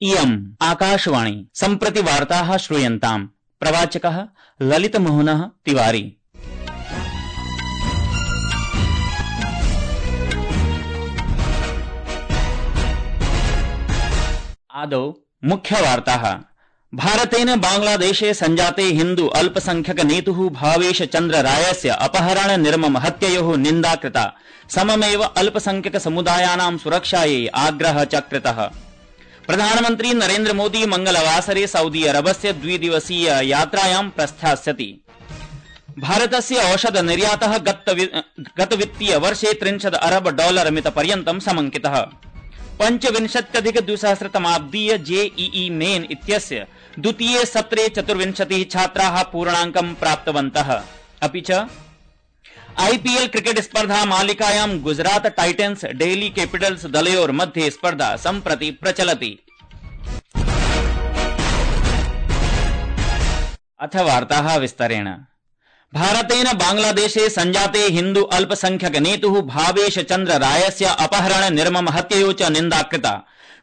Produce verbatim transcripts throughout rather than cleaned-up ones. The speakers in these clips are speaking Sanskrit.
इयम् आकाशवाणी सम्प्रति वार्ताः श्रूयन्ताम्। प्रवाचकः ललितमोहनः तिवारी। आदौ मुख्यवार्ताः। भारतेन बांग्लादेशे संजाते हिन्दू अल्पसंख्यक नेतुः भावेश चन्द्र रायस्य अपहरण निर्मम हत्ययोः निन्दा कृता। सममेव अल्पसंख्यक समुदायानां सुरक्षायै आग्रहः च कृतः। प्रधानमन्त्री नरेन्द्र मोदी मंगलवासरे सऊदी अरबस्य द्विदिवसीय यात्रायां प्रस्थास्यति। भारतस्य औषध निर्यातः गत वित्तीय वर्षे त्रिंशत् अरब डॉलर मित पर्यन्तं समंकितः। पंचविंशत्यधिक द्विसहस्रतमाब्दीय जेईई मेन इत्यस्य द्वितीये सत्रे चतुर्विंशतिः छात्राः पूर्णाङ्कं प्राप्तवन्तः। अपि च आईपीएल क्रिकेट स्पर्धा मालिकायां गुजरात टाइटन्स डेल्ही कैपिटल्स दलयोर्मध्ये स्पर्धा सम्प्रति प्रचलति। अथ वार्ताः विस्तरेण। भारतेन बांग्लादेशे संजाते हिन्दू अल्पसंख्यक नेतुः भावेश चन्द्र रायस्य अपहरण निर्मम हत्ययोः च निन्दा कृता।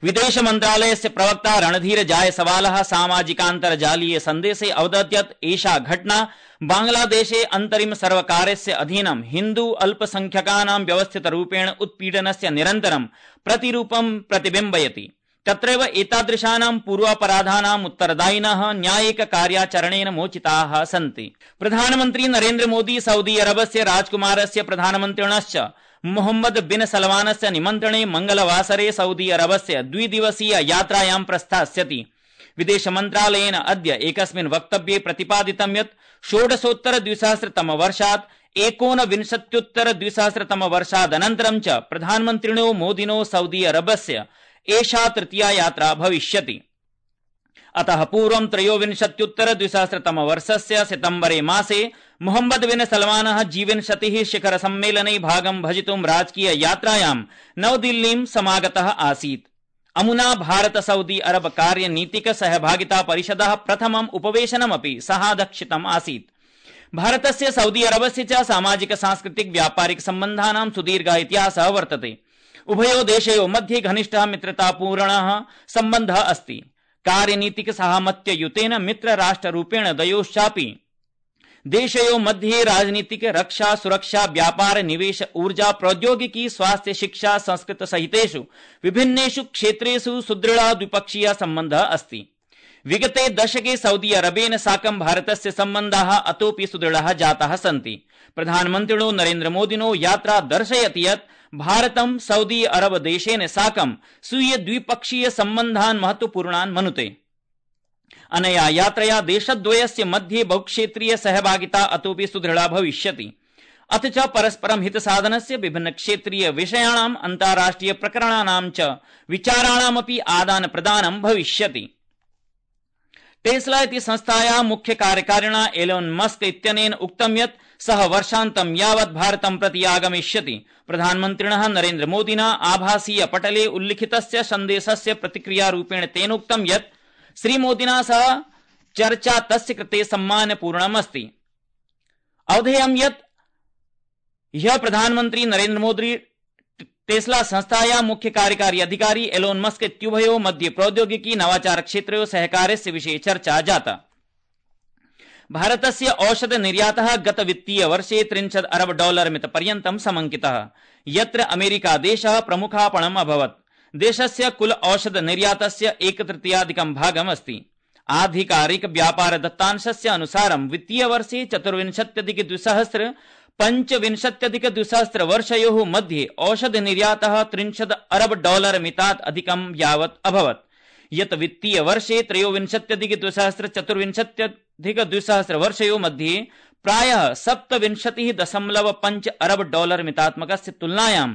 विदेश मन्त्रालयस्य प्रवक्ता रणधीर जायसवालः सामाजिकान्तर्जालीय सन्देशे अवदत् यत् एषा घटना बांग्लादेशे अन्तरिम सर्वकारस्य अधीनं हिन्दू अल्पसंख्यकानां व्यवस्थितरूपेण उत्पीडनस्य निरन्तरं प्रतिरूपं प्रतिबिम्बयति। तत्रैव एतादृशानां पूर्वापराधानाम् उत्तरदायिनः न्यायिक कार्याचरणेन मोचिताः सन्ति। प्रधानमन्त्री नरेन्द्र मोदी सऊदी अरबस्य राजकुमारस्य प्रधानमन्त्रिणश्च मोहम्मद बिन सलमानस्य निमन्त्रणे मंगलवासरे सऊदी अरबस्य द्विदिवसीय यात्रायां प्रस्थास्यति। विदेश मन्त्रालयेन अद्य एकस्मिन् वक्तव्ये प्रतिपादितं यत् षोडशोत्तर द्विसहस्रतम वर्षात् एकोनविंशत्युत्तर द्विसहस्रतम वर्षादनन्तरं च प्रधानमन्त्रिणो मोदिनो सऊदी अरबस्य एषा तृतीया यात्रा भविष्यति। अतः पूर्वं त्रयोविंशत्युत्तर द्विसहस्रतम वर्षस्य सितम्बरे मासे मोहम्मद बिन सलमानः जी विंशतिः शिखर सम्मेलने भागं भजितुं राजकीय यात्रायां नवदिल्लीं समागतः आसीत्। अमुना भारत सऊदी अरब कार्यनीतिक सहभागिता परिषदः प्रथमम् उपवेशनमपि सहादक्षितम् आसीत्। भारतस्य सऊदी अरबस्य च सामाजिक सांस्कृतिक व्यापारिक सम्बन्धानां सुदीर्घः इतिहासः वर्तते। उभयोः देशयोः मध्ये घनिष्ठः मित्रतापूर्णः सम्बन्धः अस्ति। कार्यनीतिक साहमत्ययुतेन मित्रराष्ट्ररूपेण द्वयोश्चापि देशयोः मध्ये राजनीतिक रक्षा सुरक्षा व्यापार निवेश ऊर्जा प्रौद्योगिकी स्वास्थ्य शिक्षा संस्कृत सहितेषु विभिन्नेषु क्षेत्रेषु सुदृढः द्विपक्षीयः सम्बन्धः अस्ति। विगते दशके सऊदी अरबेन साकं भारतस्य सम्बन्धाः अतोऽपि सुदृढाः जाताः सन्ति। प्रधानमन्त्रिणो नरेन्द्र मोदिनो यात्रा दर्शयति यत् भारतं सऊदी अरब देशेन साकं स्वीय द्विपक्षीय सम्बन्धान् महत्वपूर्णान् मनुते। अनया यात्रया देशद्वयस्य मध्ये बहुक्षेत्रीय सहभागिता अतोऽपि सुदृढा भविष्यति। अथ च परस्परं हितसाधनस्य विभिन्न क्षेत्रीय विषयाणाम् अन्ताराष्ट्रिय प्रकरणानां च विचाराणामपि आदान प्रदानं भविष्यति। टेस्ला इति संस्थायाः मुख्य कार्यकारिणा एलोन मस्क इत्यनेन उक्तं यत् सः वर्षान्तं यावत् भारतं प्रति आगमिष्यति। प्रधानमन्त्रिणः नरेन्द्र मोदिना आभासीय पटले उल्लिखितस्य सन्देशस्य प्रतिक्रियारूपेण तेनोक्तं यत् श्रीमोदिना सह चर्चा तस्य कृते सम्मानपूर्णमस्ति। अवधेयं यत् ह्यः प्रधानमन्त्री नरेन्द्र मोदी टेस्ला संस्थायाः मुख्य कार्यकारी अधिकारी एलोन मस्क इत्युभयोः मध्ये प्रौद्योगिकी नवाचार क्षेत्रयोः सहकारस्य विषये चर्चा जाता। भारतस्य औषध निर्यातः गत वित्तीय वर्षे त्रिंशत् अरब डॉलर मित पर्यन्तं समंकितः, यत्र अमेरिका देशः प्रमुखापणम् अभवत्। देशस्य कुल औषध निर्यातस्य एकतृतीयाधिकं भागम् अस्ति। आधिकारिक व्यापार दत्तांशस्य अनुसारं वित्तीय वर्षे चतुर्विंशत्यधिक द्विसहस्र पंचविंशत्यधिक द्विसहस्र वर्षयोः मध्ये औषध निर्यातः त्रिंशत् अरब डॉलर मितात् अधिकं यावत् अभवत्, यत् वित्तीय वर्षे त्रयोविंशत्यधिक द्विसहस्र चतुर्विंशत्यधिक द्विसहस्र वर्षयोः मध्ये प्रायः सप्तविंशतिः दशमलव पञ्च अरब डॉलर मितात्मकस्य तुलनायां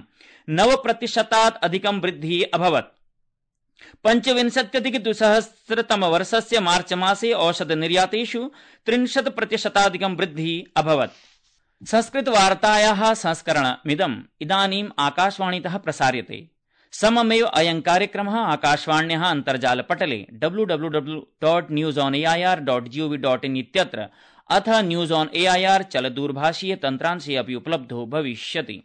नव प्रतिशतात् अधिकं वृद्धिः अभवत्। पंचविंशत्यधिक द्विसहस्रतम वर्षस्य मार्च मासे औषध निर्यातेषु त्रिंशत् प्रतिशताधिकं वृद्धिः अभवत्। संस्कृत वार्तायाः संस्करणमिदम् इदानीम् आकाशवाणीतः प्रसार्यते। सममेव अयं कार्यक्रमः आकाशवाण्याः अन्तर्जालपटले W W W dot news on A I R dot G O V dot in इत्यत्र अथ news on A I R चलदूरभाषीय तन्त्रांशे अपि उपलब्धो भविष्यति।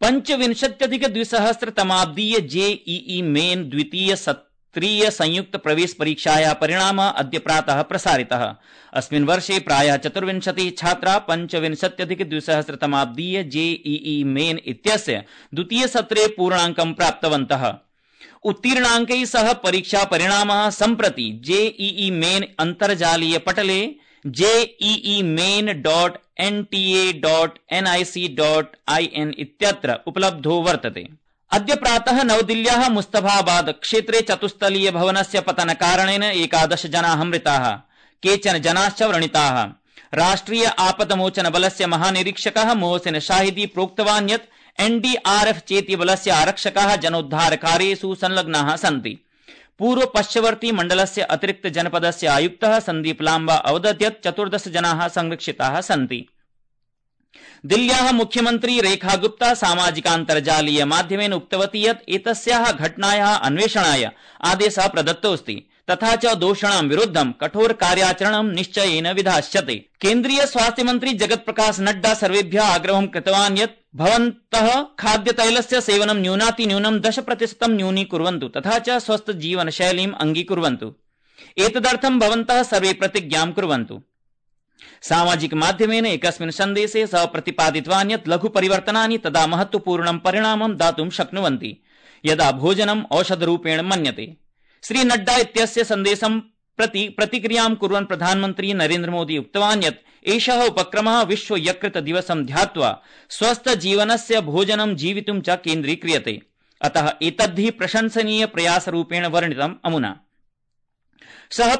पंचविंशत्यधिक द्विसहस्रतमाब्दीय जेईई मेन द्वितीय सत्रीय संयुक्त प्रवेश परीक्षायाः परिणामः अद्य प्रातः प्रसारितः। अस्मिन् वर्षे प्रायः चतुर्विंशतिः छात्राः पंचविंशत्यधिक द्विसहस्रतमाब्दीय जेईई मेन इत्यस्य द्वितीय सत्रे पूर्णाङ्कं प्राप्तवन्तः। उत्तीर्णाङ्कैः सह परीक्षा परिणामः सम्प्रति जेईई मेन अन्तर्जालीय पटले JEE Main dot NTA dot NIC dot IN इत्यत्र उपलब्धो वर्तते। अद्य प्रातः नवदिल्ल्याः मुस्तफाबाद क्षेत्रे चतुस्तलीय भवनस्य पतन कारणेन एकादश जनाः मृताः, केचन जनाश्च व्रणिताः। राष्ट्रिय आपदमोचन बलस्य महानिरीक्षकः मोहसिन शाहिदी प्रोक्तवान् यत् एनडीआरएफ चेति बलस्य आरक्षकाः जनोद्धार कार्येषु संलग्नाः सन्ति। पूर्व पश्चिमवर्ती मण्डलस्य अतिरिक्त जनपदस्य आयुक्तः सन्दीप लाम्बा अवदत् यत् चतुर्दश जनाः संरक्षिताः सन्ति। दिल्ल्याः मुख्यमन्त्री रेखा गुप्ता सामाजिकान्तर्जालीय माध्यमेन उक्तवती यत् एतस्याः घटनायाः अन्वेषणाय आदेशः प्रदत्तोऽस्ति तथा च दोषिणां विरुद्धं कठोर कार्याचरणं निश्चयेन विधास्यते। केन्द्रीय स्वास्थ्य मन्त्री जगत प्रकाश नड्डा सर्वेभ्यः आग्रहं कृतवान् यत् भवन्तः खाद्यतैलस्य सेवनं न्यूनातिन्यूनं दश प्रतिशतं न्यूनीकुर्वन्तु तथा च स्वस्थ जीवनशैलीम् अङ्गीकुर्वन्तु। एतदर्थं भवन्तः सर्वे प्रतिज्ञां कुर्वन्तु। सामाजिक माध्यमेन एकस्मिन् सन्देशे सः प्रतिपादितवान् यत् लघु परिवर्तनानि तदा महत्वपूर्णं परिणामं दातुं शक्नुवन्ति यदा भोजनम् औषधरूपेण मन्यते। श्री नड्डा इत्यस्य सन्देशं प्रति प्रतिक्रियां कुर्वन् प्रधानमन्त्री नरेन्द्र मोदी उक्तवान् यत् एषः उपक्रमः विश्व यकृत दिवसं ध्यात्वा स्वस्थ जीवनस्य भोजनं जीवितुं च केन्द्रीक्रियते, अतः एतद्धि प्रशंसनीय प्रयासरूपेण वर्णितम् अमुना। सः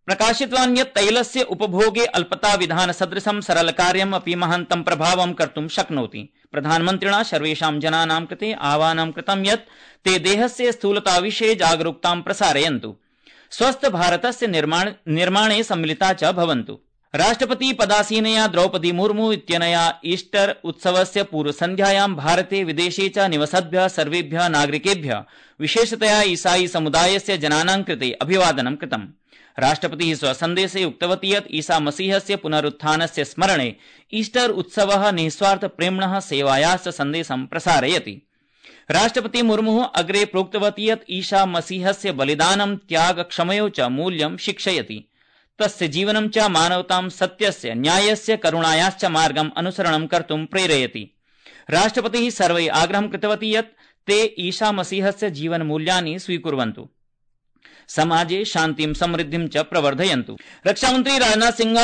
प्रकाशितवान् यत् तैलस्य उपभोगे अल्पता विधान सदृशं सरल कार्यम् अपि महान्तं प्रभावं कर्तुं शक्नोति। प्रधानमन्त्रिणा सर्वेषां जनानां कृते आह्वानं कृतं यत् ते देहस्य स्थूलता विषये जागरूकतां प्रसारयन्तु, स्वस्थ भारतस्य निर्माण निर्माणे सम्मिलिता च भवन्तु। राष्ट्रपति पदासीनया द्रौपदी मुर्मू इत्यनया ईस्टर उत्सवस्य पूर्वसन्ध्यायां भारते विदेशे च निवसद्भ्यः सर्वेभ्यः नागरिकेभ्यः विशेषतया ईसाई समुदायस्य जनानां कृते अभिवादनं कृतम्। राष्ट्रपतिः स्वसन्देशे उक्तवती यत् ईसा मसीहस्य पुनरुत्थानस्य स्मरणे ईस्टर उत्सवः निस्वार्थ प्रेम्णः सेवायाश्च सन्देशं प्रसारयति। राष्ट्रपति मुर्मुः अग्रे प्रोक्तवती यत् ईसा मसीहस्य बलिदानं त्याग क्षमयो च मूल्यं शिक्षयति, तस्य जीवनं च मानवतां सत्यस्य न्यायस्य करुणायाश्च मार्गम् अनुसरणं कर्तुं प्रेरयति। राष्ट्रपतिः सर्वैः आग्रहं कृतवती यत् ते ईसा मसीहस्य जीवनमूल्यानि स्वीकुर्वन्तु, समाजे शान्तिं समृद्धिं च प्रवर्धयन्तु। रक्षामन्त्री राजनाथ सिंह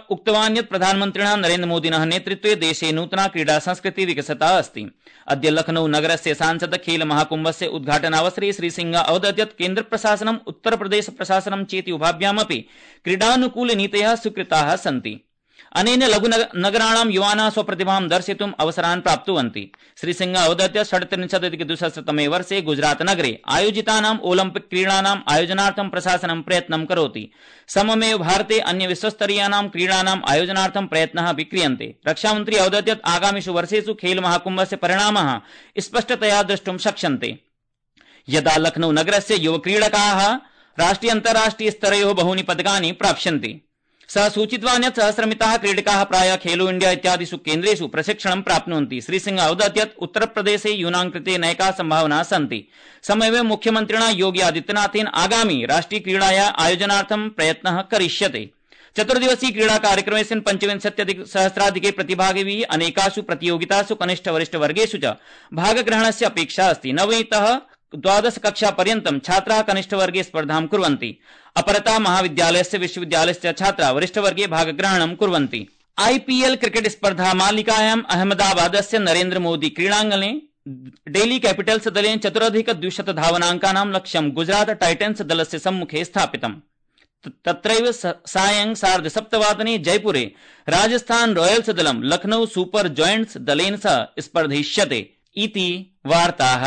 उक्तवान् यत् प्रधानमन्त्रिणः नरेन्द्र मोदिनः नेतृत्वे देशे नूतना क्रीडा संस्कृतिः विकसिता अस्ति। अद्य लखनऊ नगरस्य सांसद खेल महाकुम्भस्य उद्घाटनावसरे श्री सिंह अवदत् यत् केन्द्र प्रशासनम् उत्तर प्रदेश प्रशासनं चेति उभाभ्यामपि क्रीडानुकूल नीतयः स्वीकृताः सन्ति। अनेन लघु नगराणां युवानः स्वप्रतिभां दर्शयितुम् अवसरान् प्राप्नुवन्ति। श्री सिंह अवदत् यत् षड्त्रिंशदधिक द्विसहस्रतमे वर्षे गुजरात नगरे आयोजितानाम् ओलम्पिक क्रीडानाम् आयोजनार्थं प्रशासनं प्रयत्नं करोति। सममेव भारते अन्य विश्वस्तरीयानां क्रीडानाम् आयोजनार्थं प्रयत्नः अपि क्रियन्ते। रक्षामन्त्री अवदत् यत् आगामिषु वर्षेषु खेल महाकुम्भस्य परिणामः स्पष्टतया द्रष्टुं शक्यन्ते। यदा लखनऊ नगरस्य युवक्रीडकाः राष्ट्रिय अन्ताराष्ट्रिय स्तरयोः बहूनि पदकानि प्राप्स्यन्ति। सः सूचितवान् यत् सहस्रमिताः क्रीडकाः प्रायः खेलो इंडिया इत्यादिषु केन्द्रेषु प्रशिक्षणं प्राप्नुवन्ति। श्री सिंह अवदत् यत् उत्तर प्रदेशे यूनां कृते नैकाः सम्भावनाः सन्ति। सममेव मुख्यमन्त्रिणा योगी आदित्यनाथेन आगामी राष्ट्रिय क्रीडायाः आयोजनार्थं प्रयत्नः करिष्यते। चतुर्दिवसीय क्रीडा कार्यक्रमेऽस्मिन् पञ्चविंशत्यधिक सहस्राधिके प्रतिभागिभिः अनेकासु प्रतियोगितासु कनिष्ठ वरिष्ठ वर्गेषु च भागग्रहणस्य अपेक्षा अस्ति। नवमीतः द्वादश कक्षा पर्यन्तं छात्राः कनिष्ठ वर्गे स्पर्धां कुर्वन्ति। अपरतः महाविद्यालयस्य विश्वविद्यालयस्य छात्राः वरिष्ठ वर्गे भागग्रहणं कुर्वन्ति। आईपीएल क्रिकेट स्पर्धा मालिकायाम् अहमदाबादस्य नरेन्द्र मोदी क्रीडाङ्गणे डेल्ही कैपिटल्स दलेन चतुरधिक द्विशत धावनाङ्कानां लक्ष्यं गुजरात टाइटन्स दलस्य सम्मुखे स्थापितम्। तत्रैव सायं सार्धसप्तवादने जयपुरे राजस्थान रॉयल्स दलं लखनऊ सुपर जॉयंट्स दलेन सह स्पर्धिष्यते इति वार्ताः।